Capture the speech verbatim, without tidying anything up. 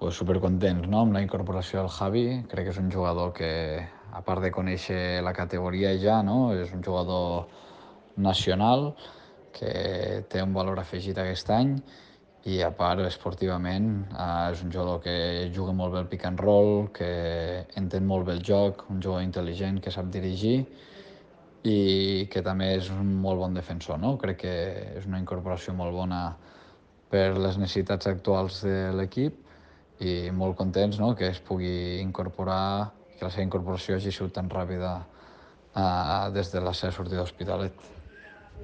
pues, supercontents, no?, amb la incorporació del Javi. Crec que és un jugador que, a part de conèixer la categoria ja, no?, és un jugador nacional que té un valor afegit aquest any i, a part, esportivament, eh, és un jugador que juga molt bé el pick and roll, que entén molt bé el joc, un jugador intel·ligent que sap dirigir i que també és un molt bon defensor, no? Crec que és una incorporació molt bona per les necessitats actuals de l'equip i molt contents, no?, que es pugui incorporar, que la seva incorporació hagi sigut tan ràpida eh, des de la seva sortida a l'Hospitalet.